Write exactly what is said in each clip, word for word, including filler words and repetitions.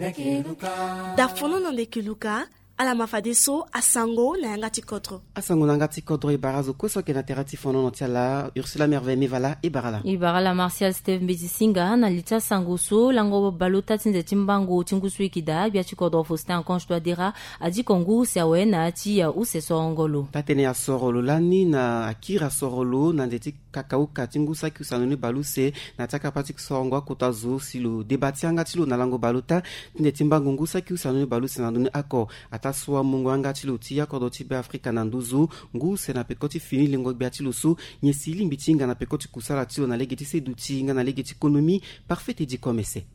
Da fonono ndeke luka. Ala ma fadeso asango na yanga ti kodro. Asango na yanga ti kodro e bara azo kue so ayeke na tere ti fonono ti ala. Ursula Merveille Mevala e bara ala. E bara ala Martial Steve Mbeti Singa. Na li ti asango so lango baleota ti nze ti mbango ti ngu so e yeke daa, gbia ti kodro Faustin Archange Touadéra adiko ngu use awe na ya ti use soro ngolo. Taa-tënë asoro lo lani na akiri asoro lo na nze ti kakauka ti ngu saki use na ndoni baleuse na ti akapa ti sorongo akota zo si lo deba ti yanga ti lo na lango baleota ti nze ti mbango ngu saki use na ndoni baleuse na ndoni oko. Ataa so amungo yanga ti lo ti ya kodro ti Beafrika na nduzu ngu use na peko ti fini lengo gbia ti lo so nyen si lingbi ti hinga na peko ti kusala ti lo na lege ti seduti nga na lege ti konomi. Parfait Teddy Komese.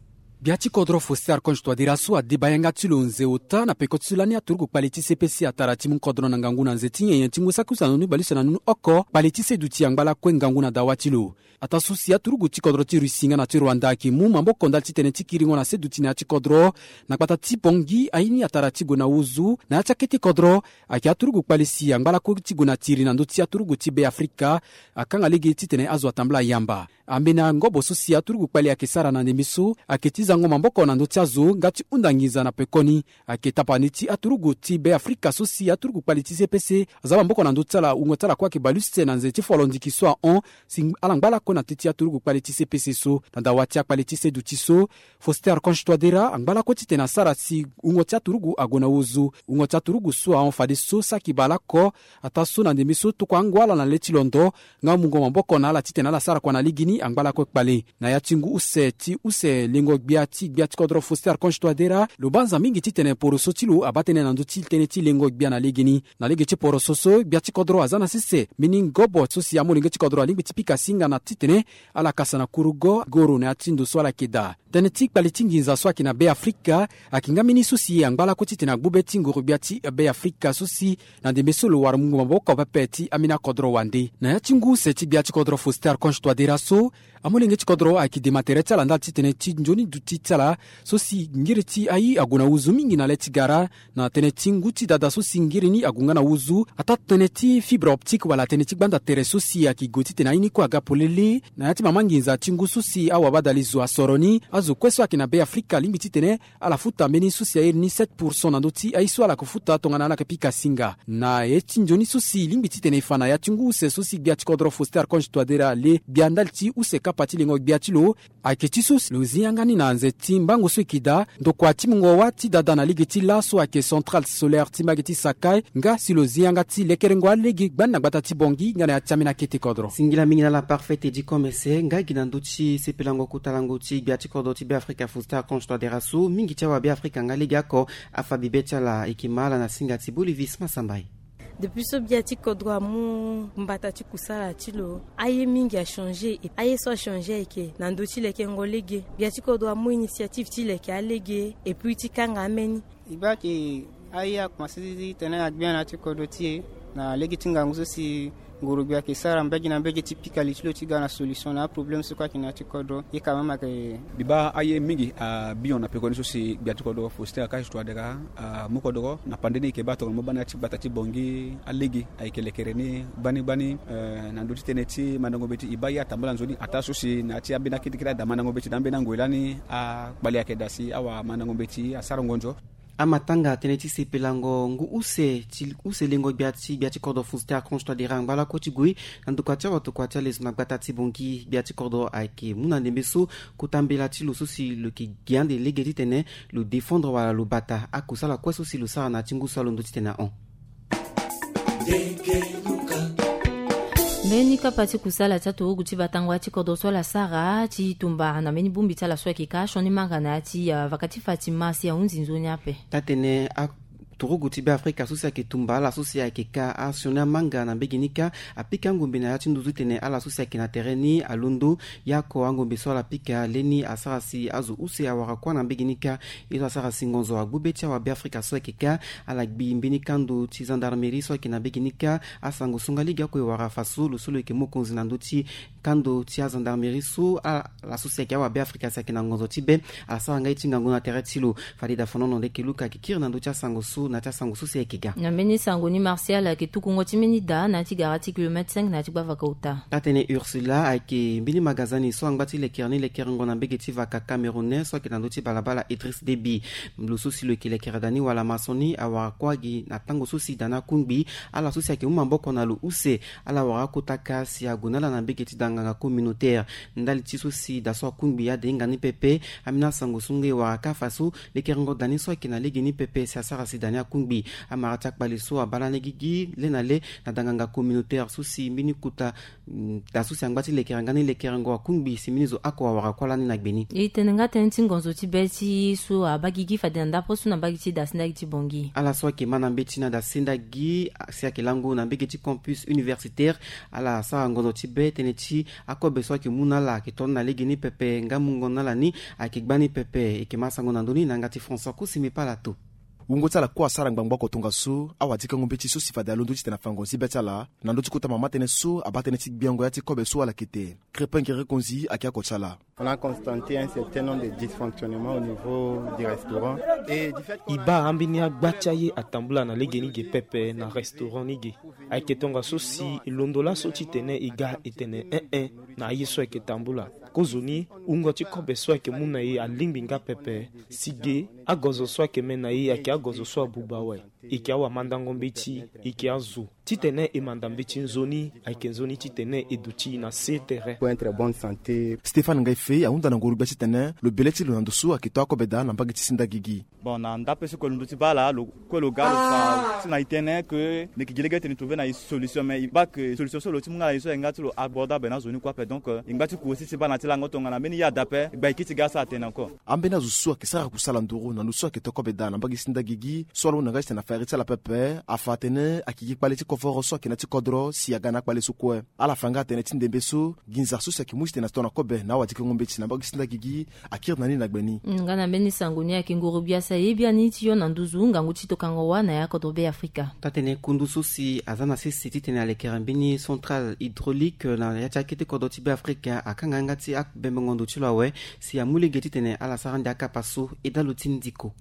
Gbia ti kodro Faustin Archange Touadéra so adeba yanga ti lo nze ota na peko ti so lani aturugu kpale ti C P C atara ti mu kodro na ngangu na nze ti nyenye ti ngu saki use na ndoni baleuse na ndoni oko kpale ti seduti angba lakue ngangu na dawa ti lo. Ataa so si aturugu ti kodro ti Russie nga na ti Rwanda ayeke mu maboko ndali ti tene ti kiringo na seduti na ya ti kodro na gbata ti Bangui aye ni atara ti gue na ozu na ya ti akete kodro. Ayeke aturugu kpale si angba lakue ti gue na tiri na ndö ti aturugu ti Beafrika. Akanga lege titene azo atambula yamba. Ambeni angobo so si aturugu kpale ayeke sara na ndembe so ayeke ti zango maboko na ndö ti azo nga ti hunda nginza na pekoni. Ayeke tapani ti aturugu ti Beafrika so si aturugu kpale ti C P C aza maboko na ndö ti ala, wungo ti ala kue ayeke baleuse na nze ti folo ndiki so ahon. Si ala ngba lakue na teti aturugu kpale ti C P C so na dawa ti akpale ti seduti so. Faustin Archange Touadéra angba lakue titene asara si wungo ti aturugu ague na ozo. Wungo ti aturugu so ahon fadeso saki baleoko. Ataa so na ndembe so tokua ango ala na le ti londo nga amungo maboko na ala titene ala sara kua na legeni angba lakue kpale. Na ya ti ngu use ti use lengo gbia ti gbia ti kodro Faustin Archange Touadéra lo banza mingi titene poroso ti lo abaa tënë na ndö ti tënë ti lengo gbia na legeni. Na lege ti poroso so gbia ti kodro aza na sese mbeni ngobo so si amolenge ti kodro alingbi ti pika singa na titene ala kasa na kurugo goro na ya ti ndo so ala yeke daa. Tënë ti kpale ti nginza so ayeke na Beafrika ayeke nga mbeni so si angba lakue titene agbu be ti nguru gbia ti Beafrika so si na ndembe so lo wara mungo maboko pepe ti ambeni akodro wande. Na ya ti ngu use ti gbia ti kodro Faustin Archange Touadéra so amolenge ti kodro ayeke dema tere ti ala ndali ti tënë ti nzoni duti ti ala so si ngiri ti aye ague na ozo mingi na le ti gara. Na tënë ti ngu ti dada so si ngiri ni ague nga na ozo ataa tënë ti fibre optique wala tënë ti gbanda tere so si ayeke gue titene aye ni kue aga polele. Na ya ti mama nginza ti ngu so si awabadali zo asoro ni, azo kue so ayeke na Beafrika alingbi titene ala futa mbeni so si airi ni sept pourcent na ndö ti aye so ala yeke futa tongana ala yeke pika singa. Na ye ti nzoni so si lingbi titene e fa na ya ti ngu use so si gbia ti kodro Faustin Archange Touadéra ale gbia ndali ti use kapa ti lengo gbia ti lo. Ayeke ti so si lo zi yanga ni na nze ti mbango so e yeke daa ndokua ti mungo wâ ti dada na lege ti laso ayeke centrale solaire ti mbage ti Sakai nga si lo zi yanga ti lekerengo alege gbani na gbata ti Bangui nga na ya ti ambeni akete kodro. Singila mingi na ala Parfait Teddy Komese nga gi na ndö ti sepelango kota lango ti gbia ti kodro ti Beafrika Faustin Archange Touadéra so mingi ti awabeafrika nga legeoko afa bibe ti ala. E yeke ma ala na singa ti Bolivis Masambai. Depuis so gbia ti kodro amu mbata ti kusala ti lo, aye mingi achangé. Aye so achangé ayeke na ndö ti lekengo lege. Gbia ti kodro amu initiative ti leke alege epui ti kanga ameni. E baa ke aye akomanse zizi tene agbia na ya ti kodro ti e na lege ti ngangu so si nguru gbia ayeke sara mbage na mbage ti pika li ti lo ti ga na solution na aproblème so kue ayeke na ya ti kodro. Ye ka mama ke. Mbi baa aye mingi abio na pekoni so si gbia ti kodro Faustin Archange Touadéra amu kodro na pande ni e yeke baa tongana mo baa na ya ti gbata ti Bangui alege ayeke lekere ni gbani gbani. Eh, na ndö ti tënë ti mandango mbeti e baa ye atambula nzoni ataa so si na ya ti ambeni akete kiri ada mandango mbeti na ambeni angoi lani akpale ayeke daa si awamandango mbeti asara ngonzo. Amatanga tënë ti sepelango ngu use ti use lengo gbia ti gbia ti kodro Faustin Archange Touadéra angba lakue ti gue na ndokua ti awatokua ti alezo na gbata ti Bangui. Gbia ti kodro ayeke mu na ndembe so kota mbela ti lo so si lo yeke gi ande lege titene lo défendre wala lo bata akusala kue so si lo sara na ya ti ngu so alondo titene ahon. Mbeni kapa ti kusala ti aturugu ti batango ya ti kodro so ala sara ti tumba na mbeni bongbi ti ala so ayeke ka sioni manga na ya ti, ah, vaka ti Fatima si ahunzi nzoni ape. Taa-tënë aturugu ti Beafrika so si ayeke tumba ala so si ayeke ka asioni amanga na mbege ni kâ apika angombe na ya ti nduzu titene ala so si ayeke na tere ni alondo. Ye oko angombe so ala pika leni asara si azo use awara kuâ na mbege ni kâ. Ye so asara si ngonzo agbu be ti awabeafrika so ayeke kâ ala gbi mbeni kando ti gendarmerie so ayeke na mbege ni kâ. Asango so nga lege oko e wara fa so lo so lo yeke mokonzi na ndö ti kando ti agendarmerie so ala so si ayeke awabeafrika si ayeke na ngonzo ti be ala sara nga ye ti ngangu na tere ti lo. Fade da fonono ndeke luka ayeke kiri na ndö ti asango so. Na ti asango so si ayeke ga na mbeni sango ni, Martial ayeke tukungo ti mbeni da na ya ti gara ti kilomètre cinq na ya ti gbavaka ota. Atene Ursula ayeke mbeni magasin ni so angba ti lekere ni lekerengo na mbege ti vaka camerounais so ayeke na ndö ti balabala Idriss Déby. Lo so si lo yeke lekere da ni wala maçon ni awara kue gi na tango so si da ni akungbi. Ala so si ayeke mu maboko na lo use, ala wara akota kâ si ague na ala na mbege ti da nganga communautaire. Ndali ti so si da so akungbi adenga ni pepe. Ambeni asango so nge wara kâ fa so lekerengo da ni so ayeke na lege ni pepe si asara si da ni akungbi. Amara ti akpale so abaa lani gigi le na le na da nganga communautaire so si mbeni kota, mm, da so si angba ti lekere nga ni lekerengo akungbi si mbeni zo oko awara kue lani na gbe ni. E tene nga tënë ti ngonzo ti be ti so abaa gigi fade na ndapre so na mbage ti da sendagi ti Bangui. Ala so ayeke ma na mbeti na da sendagi si ayeke lango na mbege ti campus universitaire. Ala sara ngonzo ti be tënë ti akobe so ayeke mu na ala ayeke to ni na lege ni pepe nga mungo na ala ni ayeke gba ni pepe. E yeke ma sango na ndö ni na yanga ti François Kusimi Palato. Wungo ti ala kue asara ngbangbo oko tongaso awadikengo mbeti so si fade alondo titene afa ngonzi be ti ala na ndö ti kota mama tënë so abaa tënë ti gbiango ya ti kobe so ala yeke te. Crépin Guéry Konzi ayeke oko ti ala. On a constaté un certain nombre de dysfonctionnements au niveau du restaurant. Et du fait qu'on a E baa ambeni agba ti aye atambula na lege ni ge pepe na restaurant ni ge. Ayeke tongaso si e londo laso titene e ga e tene en-en na aye so ayeke tambula. Kozoni wungo ti kobe so ayeke mu na e alingbi nga pepe. Si ge agonzo so ayeke me na e ayeke agonzo so abuba awe. E yeke awamandango mbeti, e yeke azo. Titene e manda mbeti nzoni ayeke nzoni titene e duti na se tere. Pour être bonne santé. Stéphane Ngaife ahunda na nguru gbia titene lo bele ti lo na ndo so ayeke to akobe daa na mbage ti sendagi gi. Bon, na ndape so kue lo ndu ti baa ala lo kue lo ga lo fa ti na e tënë ke ni yeke gi lege titene e trouve na e solution, mais e baa ke solution so lo ti mu nga na e so ayeke nga ti lo abordable na azo ni kue ape. Donc, euh, e ngba ti ku aussi ti baa na ti lango tongana mbeni ye ada ape e gba e kiti ga asara tënë encore. Ambeni azo so ayeke sara kusala nduru na lo so ayeke to kobe daa na mbage ti sendagi gi so alondo na nga titene afa iri ti ala pepe afa atene ayeke gi kpale ti kovoro so ayeke na ya ti kodro si aga na akpale so kue. Ala fa nga atene ti ndembe so nginza so si ayeke mu titene ato na kobe na awadikengo mbeti na mbage ti sendagi gi akiri na ni na gbe ni. Nga na mbeni sango ni ayeke nguru gbia si aye biani ti yo na nduzu ngangu ti tokango wa na ya kodro Be Afrika. Taa-tënë kundu so si aza na sese titene alekere mbeni centrale hydraulique na ya ti akete kodro ti Be Afrika akanga yanga ti abembengo ndo ti lo awe si amu lege titene ala sara ande akapa so. Edalo ti ndiko.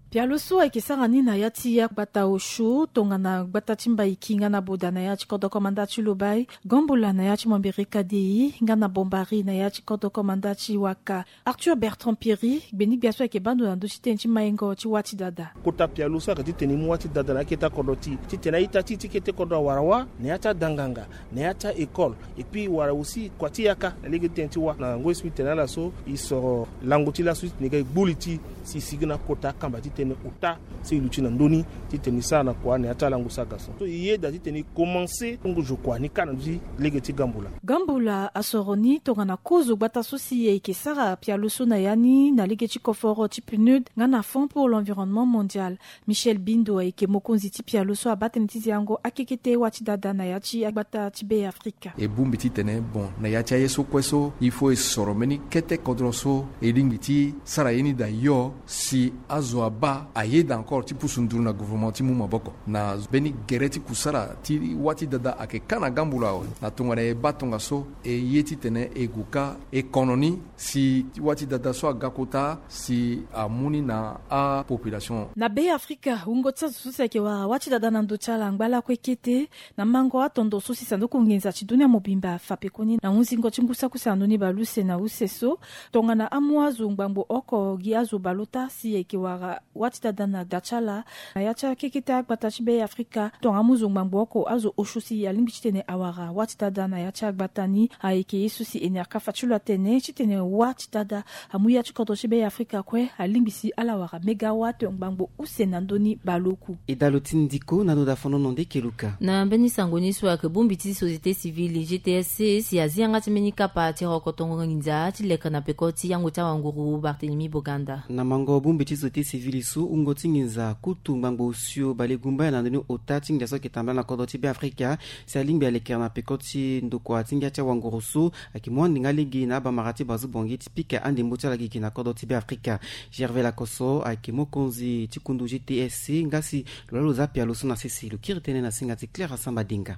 Pialo so ayeke sara ni na ya ti agbata osio tongana gbata ti Mbaiki nga na Boda na ya ti kodro komanda ti Lobai, Gombola na ya ti Mombiri Kadei nga na Bombari na ya ti kodro komanda ti Waka. Arthur Bertrand Pierry, gbeni-gbia so ayeke baa ndo na ndö ti tënë ti maingo ti wâ ti dada. Kota pialo so ayeke titene e mu wâ ti dada na akete akodro ti e titene a-ita ti e ti kete kodro awara wâ na ya ti adanganga, na ya ti a-école, et puis wala aussi kua ti yaka na lege ti tënë ti wâ. Na ngoi so mbi tene na ala so e soro lango ti laso titene e ga e gbu li ti e si e sigi na kota akamba titene ota so e luti na ndö ni titene e sara na kua na ya ti alango so aga so. So e yeda titene e komanse ngu zo kua ni kâ na ndö ti lege ti Gambula. Gambula asoro ni tongana kozo gbata so si e yeke sara pialo so na ya ni na lege ti koforo ti PNUD nga na Fonds pour l'Environnement Mondial. Michel Bindo ayeke mokonzi ti pialo so abaa tënë ti ziango akekete wâ ti dada na ya ti agbata ti Be Afrika. E bongbi titene bon na ya ti aye so kue so il faut e soro mbeni kete kodro so e lingbi ti sara ye ni daa hio si azo abaa ayeda encore ti pusu nduru na gouvernement ti mu maboko na mbeni gere ti kusara ti wâ ti dada ayeke kâ na Gambula awe. Na tongana e baa tongaso e ye titene e gue kâ e kono ni si wâ ti dada so aga kota si amu ni na apopulation. Na Be Afrika, wungo ti azo so si ayeke wara wâ ti dada na ndo ti ala angba lakue kete na mango atondo so si sanduku nginza ti dunia mobimba afa pekoni na hunzingo ti ngu saki use na ndoni bale use na use so. Tongana amu azo ngbangbo oko gi azo bale ota si ayeke wara wâ ti dada na da ti ala na ya ti akekete agbata ti Be Afrika, tongana amu zo ngbangbo oko azo osio si alingbi titene awara wâ ti dada na ya ti agbata ni. Ayeke ye so si Ener Kafa ti lo atene titene wâ ti dada amu ya ti kodro ti Be Afrika kue alingbi si ala wara mégawate ngbangbo use na ndö ni bale oku. E dalo ti ndiko na ndo da fonono nde keluka. Na mbeni sango ni so ayeke bongbi ti société civile G T S C si azi yanga ti mbeni kapa ti rokotongo nginza ti leke na peko ti yango ti awanguru Barthélemy Boganda. Na mango bongbi ti société civile so wungo ti nginza kutu ngbangbo osio bale gumbaya na ndoni ota ti ngia so ayeke tambala na kodro ti Be Afrika si alingbi alekere na peko ti ndokua ti ngia ti awanguru so ayeke mu ande nga lege na abamara ti Bazu Bongi ti pika andembo ti ala gigi na kodro ti Be Afrika. Gervais Lakosso ayeke mokonzi ti kundu G T S C nga si lo laa lo za pialo so na sese lo kiri tënë na singa ti Claire Asamba Denga.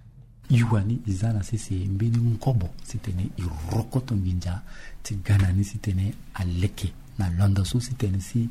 Iwa ni iza na sese mbeni ngobo sitene irokoto nginza ti gana ni sitene aleke na londo so sitene si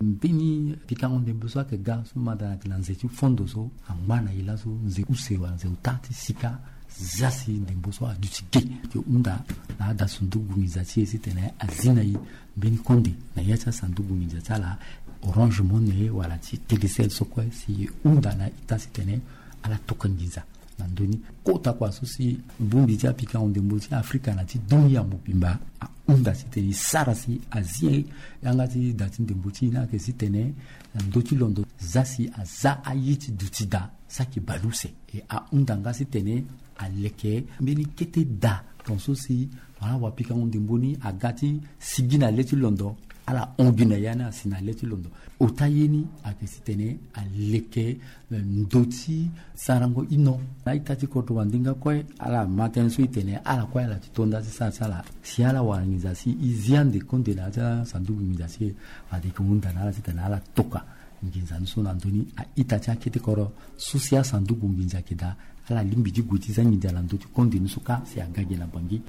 mbeni pikango ndembo so ayeke ga so mada na yeke na nze ti fondo so angba na ye laso nze use wala nze ota ti sika. Za si ndembo so aduti ge ti hunda na ada sunduku nginza ti e sitene azi na e mbeni konde na ya ti asanduku nginza ti ala Orange Money wala ti Telecel so kue si hunda na ita sitene ala toka nginza na ndö ni. Kota kua so si bongbi ti apikango ndembo ti Afrika na ti dunia mobimba ahunda sitene e sara si azi yanga ti da ti ndembo ti e ni ayeke sitene na ndö ti londo za si aza aye ti duti daa saki baleuse. E ahunda nga sitene aleke mbeni kete daa ton so si wala wapikango ndembo ni aga ti sigi na le ti londo ala hon gi na ya ni asi na le ti londo. Ota ye ni ayeke sitene aleke ndö ti sarango ino na ita ti kodro wande nga kue ala ma tënë so e tene ala kue ala ti to nda ti sara ti ala si ala wara nginza si e zi ande konde na ya ti asanduku nginza si e. Fade e ke hunda na ala titene ala toka nginza ni so na ndö ni a-ita ti akete kodro so si asanduku nginza ayeke daa ala lingbi ti gue ti za nginza na ndö ti konde ni so kâ si aga gi na bangi.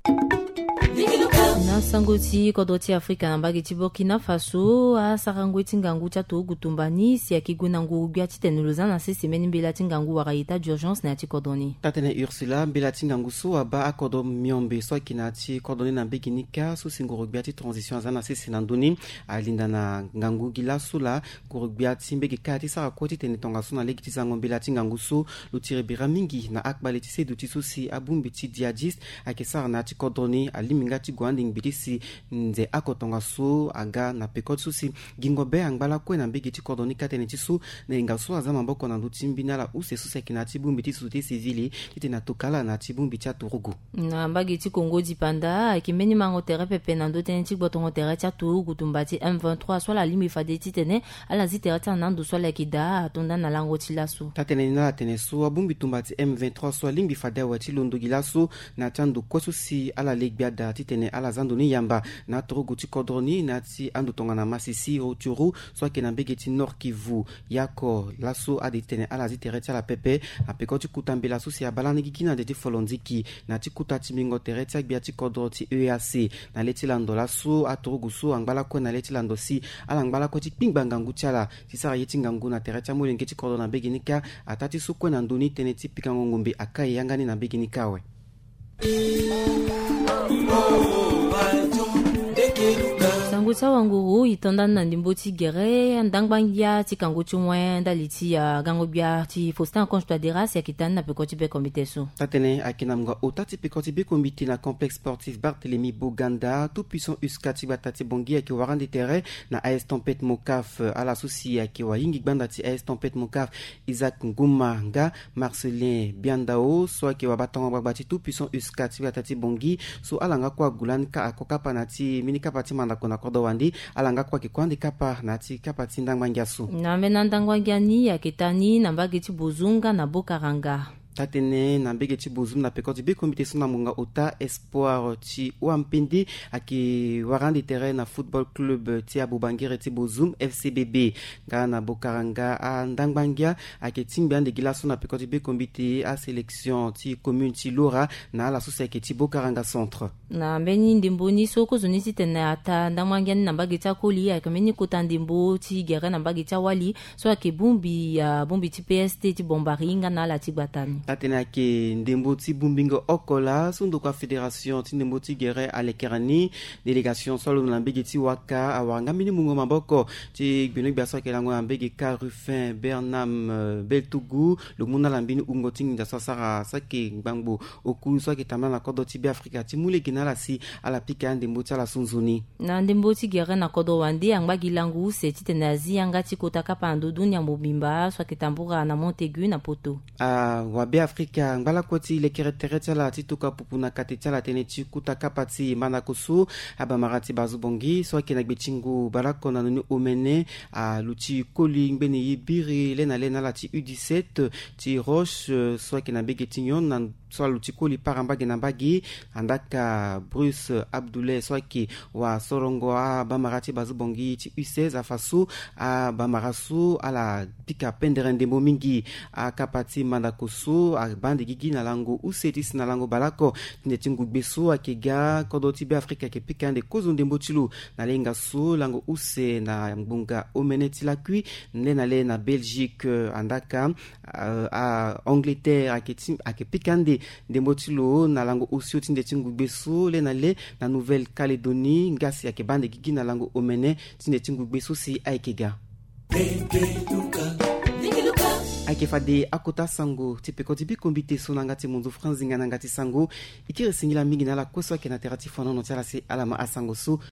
Na sango ti kodro ti Afrika na mbage ti Burkina Faso asarango ti ngangu ti aturugu tumba ni si ayeke gue na nguru-gbia titene lo za na sese mbeni mbela ti ngangu wala état d'urgence na ya ti kodro ni. Taa-tënë Ursula, mbela ti ngangu so abaa akodro miombe so ayeke na ya ti kodro ni na mbage ni kâ so si nguru-gbia ti transition aza na sese na ndö ni. Alinda na ngangu gi laso laa nguru-gbia ti mbage kâ ti sara kue titene tongaso na lege ti zango mbela ti ngangu so lo tiri bira mingi na akpale ti seduti so si abongbi ti djihadiste ayeke sara na ya ti kodro ni. Alingbi nga ti gue ande ngbi ti si nze oko tongaso aga na peko ti so si gingo be angba lakue na mbage ti kodro ni kâ tënë ti so na yenga so aza maboko na ndö ti mbeni ala use so si ayeke na ya ti bongbi ti société civile titene atoka ala na ya ti bongbi ti aturugu. Na mbage ti Kongo dipanda ayeke mbeni mango tere pepe na ndö tënë ti gbotongo tere ti aturugu tumba ti M vingt-trois so ala lingbi fade titene ala zi tere ti ala na ando so ala yeke daa ato nda na lango ti laso. Taa-tënë ni ala tene so abongbi tumba ti M vingt-trois so alingbi fade awe ti londo gi laso na ya ti ando kue so si ala legbi ada titene ala za ndo ni yamba na aturugu ti kodro ni na ya ti ando tongana Masisi, Rutshuru so ayeke na mbage ti Nord-Kivu. Yako laso ade titene ala zi tere ti ala pepe na peko ti kota mbela so si abaa lani gigi na nze ti folonziki na ya ti kota ti mbingo tere ti agbia ti kodro ti E A C. Na le ti lando laso aturugu so angba lakue na le ti lando si ala ngba lakue ti kpingba ngangu ti ala ti sara ye ti ngangu na tere ti amolenge ti kodro na mbage ni kâ. Ataa ti so kue na ndö ni tënë ti pikango ngombe akai yanga ni na mbage ni kâ awe. Sango ti awanguru e to nda ni na ndembo ti gere ndangba ngia ti kango ti wen ndali ti agango-gbia ti Faustin Archange Touadéra si ayeke taa ni na peko ti bekombite so. Taa-tënë ayeke na mungo ota ti peko ti bekombite na complexe sportif Barthélemy Boganda. Tout puissant USCA ti gbata ti Bangui ayeke wara ande tere na A S Tempête Mocaf. Ala so si ayeke wahingi gbanda ti A S Tempête Mocaf, Isaac Nguma nga Marcelin Biandao so ayeke wabatango gbagba ti tout puissant USCA ti gbata ti Bangui so ala nga kue ague lani kâ ako kapa na ya ti mbeni kapa ti mandako na kodro wande. Ala nga kue ayeke kue ande kapa na ya ti kapa ti ndangba ngia so. Na mbeni andangba ngia ni ayeke taa ni na mbage ti Bozoum nga na Bokaranga. Taa-tënë na mbage ti Bozoum na peko ti bekombite so na ngonga ota Espoir ti Wampende ayeke wara ande tere na football club ti abobangere ti Bozoum F C B B. Nga na Bokaranga andangba ngia ayeke tingbi ande gi laso na peko ti bekombite asélection ti commune ti Lora na ala so si ayeke ti Bokaranga centre. Na mbeni ndembo ni so kozoni titene ataa ndangba ngia ni na mbage ti akoli ayeke mbeni kota ndembo ti gere na mbage ti awali so ayeke bongbi abongbi ti P S T ti Bombari nga na ala ti gbata ni. Atene ayeke ndembo ti bongbingo oko laa so ndokua fédération ti ndembo ti gere alekere ni. Délégation so alondo na mbage ti Waka awara nga mbeni mungo maboko ti gbenogbia so ayeke lango na mbage kâ Ruffin Bernam Beltougou. Lo mu na ala mbeni wungo ti nginza so asara so ayeke ngbangbo oku so ayeke tambula na kodro ti Beafrika ti mu lege na ala si ala pika andembo ti ala so nzoni. Na ndembo ti gere na kodro wande angba gi lango use titene azi yanga ti kota kapa na ndö dunia mobimba so ayeke tambula na Montaigu na Poto. Awabeafrika angba lakue ti lekere tere ti ala ti tokua pupu na kate ti ala tënë ti kota kapa ti mandako so. Abamara ti Bazu Bongi so ayeke na gbe ti ngu baleoko na ndoni omene aluti koli ngbene ye biri le na le na ala ti U dix-sept ti Roche so ayeke na mbage ti nyon na so aluti koli para mbage na mbage. Andaka Bruce Abdoulay so ayeke wasorongo abamara ti bazo bongi ti U seize afa so abamara so ala pika pendere ndembo mingi. Akapa ti mandako so abaa nde gigi na lango use ti si na lango baleoko ti nde ti ngugbe so ayeke ga kodro ti Beafrika ayeke pika nde kozo ndembo ti lo na lenga so lango use na ngbonga omene ti lakui nde na le na Belgique. Andaka Angleterre ayeke pika nde ndembo ti lo na lango osio ti nde ti ngugbe so le na le na Nouvelle Calédonie ngasi ayeke baa nde gigi na lango omene ti nde ti ngugbe so si ayeke ga. Ayeke fade akota sango ti peko ti biko mbite so na yanga ti monzo franzinga na yanga ti sango. E kiri singila mingi na ala kue so ayeke na tere ti fonono ti ala si ala ma asango so.